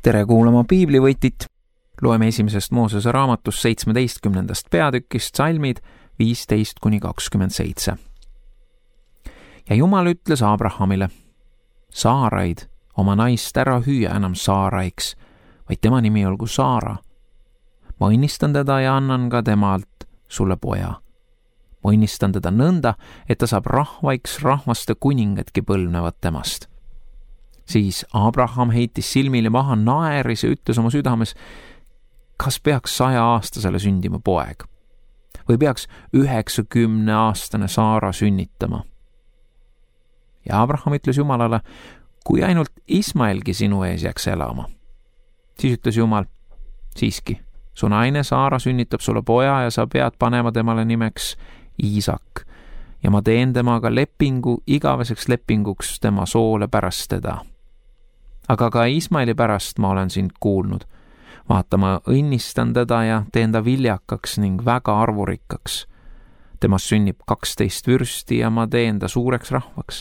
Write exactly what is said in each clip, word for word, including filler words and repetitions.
tere kuulama piiblivõtit. Loeme esimesest Moosese raamatust seitsmeteistkümnendast peatükist salmid viisteist kuni kakskümmend seitse. Ja Jumal ütles Abrahamile, Saaraid, oma naist ära hüüa enam Saaraiks, vaid tema nimi olgu Saara. Ma õnnistan teda ja annan ka temalt sulle poja. Ma õnnistan teda nõnda, et ta saab rahvaiks rahvaste kuningatki põlvnevad temast. Siis Abraham heitis silmile maha naeris ja ütles oma südames, kas peaks saja aastasele sündima poeg või peaks üheksakümne aastane Saara sünnitama. Ja Abraham ütles Jumalale, kui ainult Ismaelgi sinu ees jääks elama. Siis ütles Jumal, siiski, su naine Saara sünnitab sulle poja ja sa pead panema temale nimeks Iisak ja ma teen temaga lepingu igaveseks lepinguks tema soole pärast teda. Aga ka Ismaeli pärast ma olen sind kuulnud. Vaata, ma õnnistan teda ja teen ta viljakaks ning väga arvurikkaks. Temast sünnib kaksteist vürsti ja ma teen ta suureks rahvaks.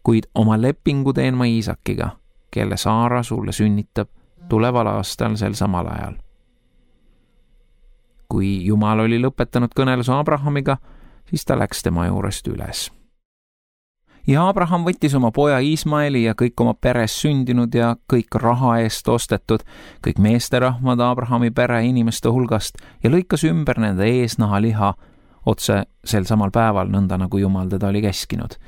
Kuid oma lepingu teen ma Iisakiga, kelle Saara sulle sünnitab tuleval aastal sel samal ajal. Kui Jumal oli lõpetanud kõneluse Abrahamiga, siis ta läks tema juurest üles. Ja Abraham võttis oma poja Ismaeli ja kõik oma peres sündinud ja kõik raha eest ostetud, kõik meesterahvad Abrahami pere inimeste hulgast ja lõikas ümber nende eesnahaliha otse sel samal päeval, nõnda nagu Jumal teda oli käskinud.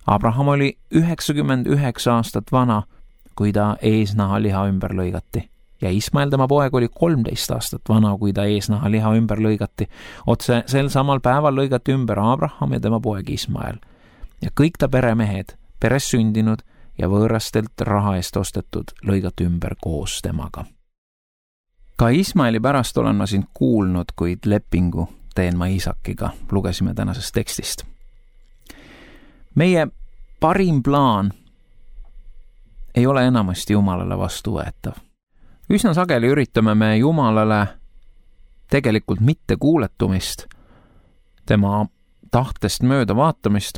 Abraham oli üheksakümmend üheksa aastat vana, kui ta eesnahaliha ümber lõigati. Ja Ismael, tema poeg, oli kolmteist aastat vana, kui ta eesnahaliha ümber lõigati. Otse sel samal päeval lõigati ümber Abraham ja tema poeg Ismael. Ja kõik ta peremehed, peres sündinud ja võõrastelt raha eest ostetud lõigati ümber koos temaga. Ka Ismaeli pärast olen ma sind kuulnud, kuid lepingu teen ma Iisakiga, lugesime tänasest tekstist. Meie parim plaan ei ole enamasti Jumalale vastuvõetav. Üsna sageli üritame me Jumalale tegelikult mitte kuuletumist, tema tahtest mööda vaatamist,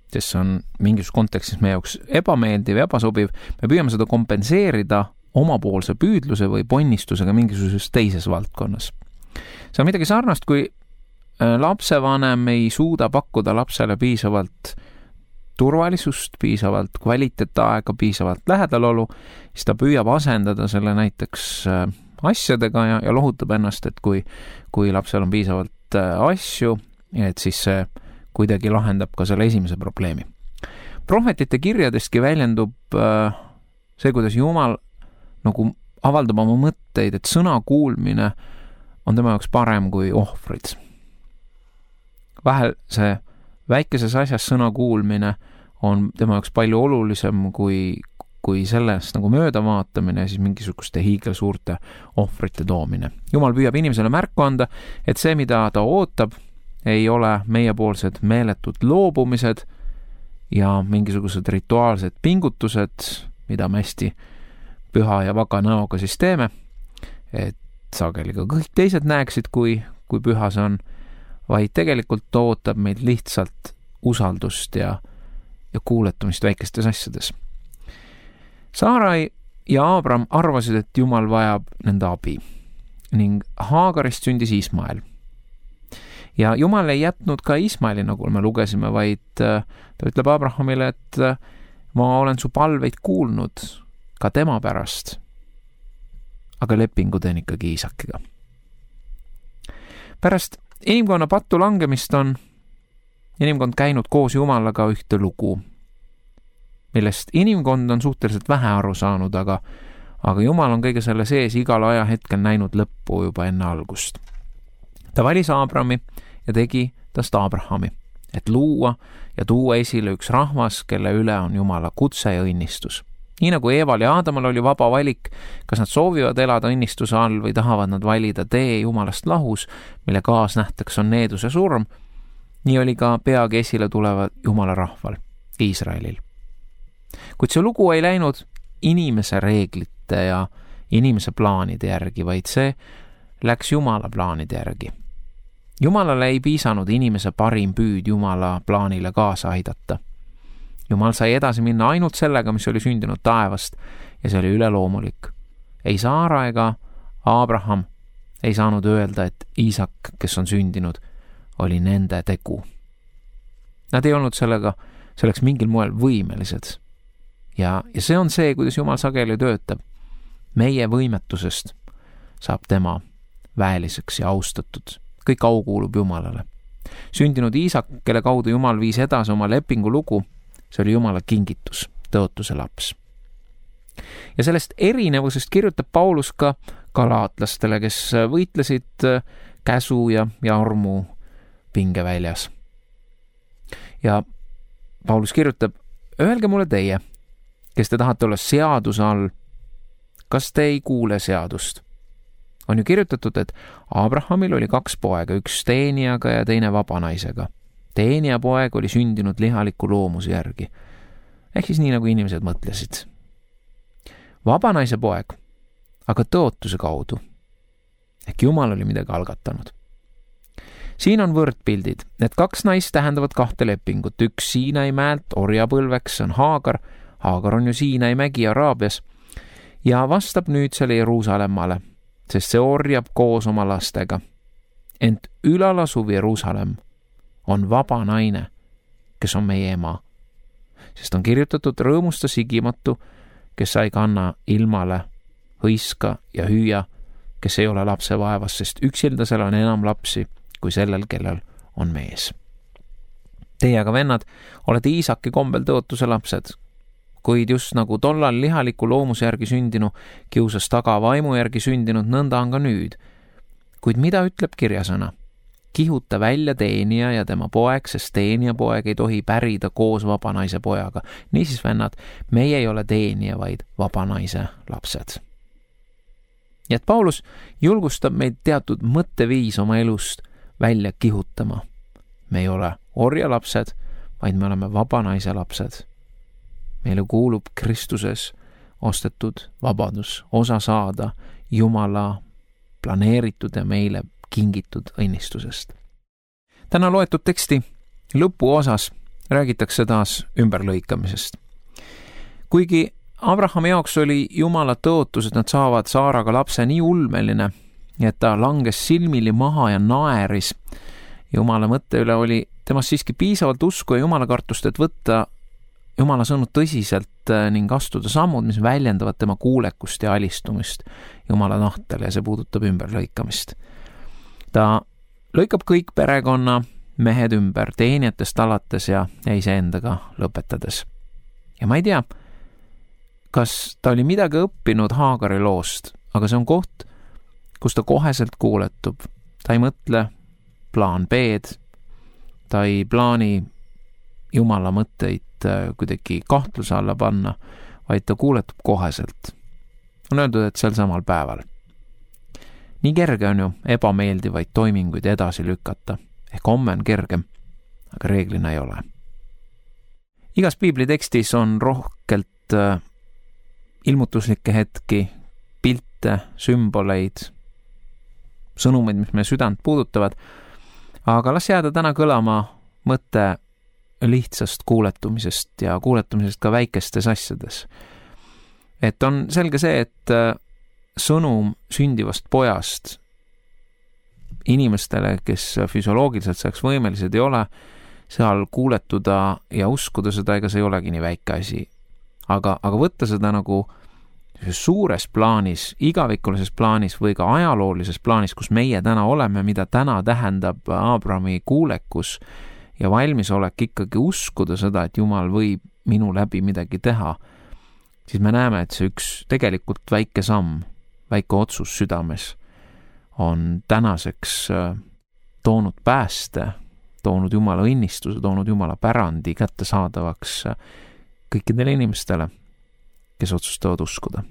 kes on mingis kontekstis meie jaoks ebameeldiv ja ebasobiv, me püüame seda kompenseerida omapoolse püüdluse või ponnistusega mingisuguses teises valdkonnas. See on midagi sarnast, kui lapsevanem ei suuda pakkuda lapsele piisavalt turvalisust, piisavalt kvaliteetaega, piisavalt lähedalolu, siis ta püüab asendada selle näiteks asjadega ja, ja lohutab ennast, et kui, kui lapsel on piisavalt asju, et siis see kuidagi lahendab ka selle esimese probleemi. Prohvetite kirjadestki väljendub see, kuidas Jumal nagu avaldab oma mõtteid, et sõna kuulmine on tema jaoks parem kui ohvrid. Vahel see väikeses asjas sõna kuulmine on tema jaoks palju olulisem kui, kui sellest nagu mööda vaatamine ja siis mingisuguste hiigelsuurte ohvrite toomine. Jumal püüab inimesele märku anda, et see, mida ta ootab, ei ole meiepoolsed meeletud loobumised ja mingisugused rituaalsed pingutused, mida me hästi püha ja vaka näoga siis teeme, et sageli ka kõik teised näeksid, kui, kui püha see on, vaid tegelikult ootab meid lihtsalt usaldust ja, ja kuuletumist väikestes asjades. Saarai ja Abram arvasid, et Jumal vajab nende abi ning Haagarist sündis Ismael. Ja Jumal ei jätnud ka Ismaeli, nagu me lugesime, vaid ta ütleb Abrahamile, et ma olen su palveid kuulnud ka tema pärast, aga lepingu teen ikkagi Iisakiga. Pärast inimkonna pattu langemist on inimkond käinud koos Jumalaga ühte lugu, millest inimkond on suhteliselt vähe aru saanud, aga, aga Jumal on kõige selle sees igal ajahetkel näinud lõppu juba enne algust. Ta valis Abrami ja tegi tast Abrahami, et luua ja tuua esile üks rahvas, kelle üle on Jumala kutse ja õnnistus. Nii nagu Eeval ja Aadamal oli vaba valik, kas nad soovivad elada õnnistuse all või tahavad nad valida tee Jumalast lahus, mille kaasnähteks on needuse surm, nii oli ka peagi esile tuleva Jumala rahval, Iisraelil. Kuid see lugu ei läinud inimese reeglite ja inimese plaanide järgi, vaid see läks Jumala plaanide järgi. Jumalale ei piisanud inimese parim püüd Jumala plaanile kaasa aidata. Jumal sai edasi minna ainult sellega, mis oli sündinud taevast ja see oli üleloomulik. Ei Saara ega Abraham ei saanud öelda, et Iisak, kes on sündinud, oli nende tegu. Nad ei olnud sellega, selleks mingil moel võimelised. Ja, ja see on see, kuidas Jumal sageli töötab. Meie võimetusest saab tema väeliseks ja austatud. Kõik au kuulub Jumalale. Sündinud Iisak, kelle kaudu Jumal viis edasi oma lepingu lugu, see oli Jumala kingitus, tõotuse laps. Ja sellest erinevusest kirjutab Paulus ka galaatlastele, kes võitlesid käsu ja, ja armu pingeväljas. Ja Paulus kirjutab, öelge mulle teie, kes te tahate olla seaduse all, kas te ei kuule seadust? On ju kirjutatud, et Abrahamil oli kaks poega, üks teenijaga ja teine vabanaisega. Teenija poeg oli sündinud lihaliku loomuse järgi. Ehk siis nii, nagu inimesed mõtlesid. Vabanaise poeg, aga tõotuse kaudu. Ehk Jumal oli midagi algatanud. Siin on võrdpildid. Need kaks naist tähendavad kahte lepingut. Üks Siinai mäelt orjapõlveks on Haagar. Haagar on ju Siinai mägi Araabias. Ja vastab nüüd selle Jeruusalemmale, sest see orjab koos oma lastega. Ent ülalasuv Jeruusalem on vaba naine, kes on meie ema. Sest on kirjutatud rõõmusta sigimatu, kes sai kanna ilmale, hõiska ja hüüa, kes ei ole lapse vaevas, sest üksildasel on enam lapsi kui sellel, kellel on mees. Teie aga vennad, olete Iisaki kombel tõotuse lapsed, kuid just nagu tollal lihaliku loomuse järgi sündinu kiusas taga vaimu järgi sündinud, nõnda on ka nüüd. Kuid mida ütleb kirjasõna? Kihuta välja teenija ja tema poeg, sest teenija poeg ei tohi pärida koos vabanaise pojaga. Niisiis, vennad, meie ei ole teenija, vaid vabanaise lapsed. Ja et Paulus julgustab meid teatud mõtteviis oma elust välja kihutama. Me ei ole orjalapsed, vaid me oleme vabanaise lapsed. Meile kuulub Kristuses ostetud vabadus, osa saada Jumala planeeritud ja meile kingitud õnnistusest. Täna loetud teksti lõpuosas räägitakse taas ümberlõikamisest. Kuigi Abrahami jaoks oli Jumala tõotus, et nad saavad Saaraga lapse nii ulmeline, et ta langes silmili maha ja naeris. Jumala mõtte üle oli temast siiski piisavalt usku ja Jumala kartust, et võtta Jumala sõnu tõsiselt ning astuda sammud, mis väljendavad tema kuulekust ja alistumist Jumala tahtele, ja see puudutab ümberlõikamist. Ta lõikab kõik perekonna mehed ümber, teenijatest alates ja iseendaga lõpetades. Ja ma ei tea, kas ta oli midagi õppinud Haagari loost, aga see on koht, kus ta koheselt kuuletub. Ta ei mõtle plaan B-d, ta ei plaani Jumala mõtteid kuidagi kahtluse alla panna, vaid ta kuuletub koheselt. On öeldud, et sel samal päeval. Nii kerge on ju ebameeldivaid toiminguid edasi lükata. Ehk homme on kergem, aga reeglina ei ole. Igas piiblitekstis on rohkelt äh, ilmutuslikke hetki, pilte, sümboleid, sõnumeid, mis meie südant puudutavad, aga las jääda täna kõlama mõte lihtsast kuuletumisest ja kuuletumisest ka väikestes asjades. Et on selge see, et sõnum sündivast pojast inimestele, kes füsioloogiliselt selleks võimelised ei ole, seal kuuletuda ja uskuda seda, ega see ei olegi nii väike asi. Aga, aga võtta seda nagu suures plaanis, igavikulises plaanis või ka ajaloolises plaanis, kus meie täna oleme, mida täna tähendab Abrahami kuulekus ja valmisolek ikkagi uskuda seda, et Jumal võib minu läbi midagi teha, siis me näeme, et see üks tegelikult väike samm, väike otsus südames on tänaseks toonud pääste, toonud Jumala õnnistuse, toonud Jumala pärandi kättesaadavaks kõikidele inimestele, kes otsustavad uskuda.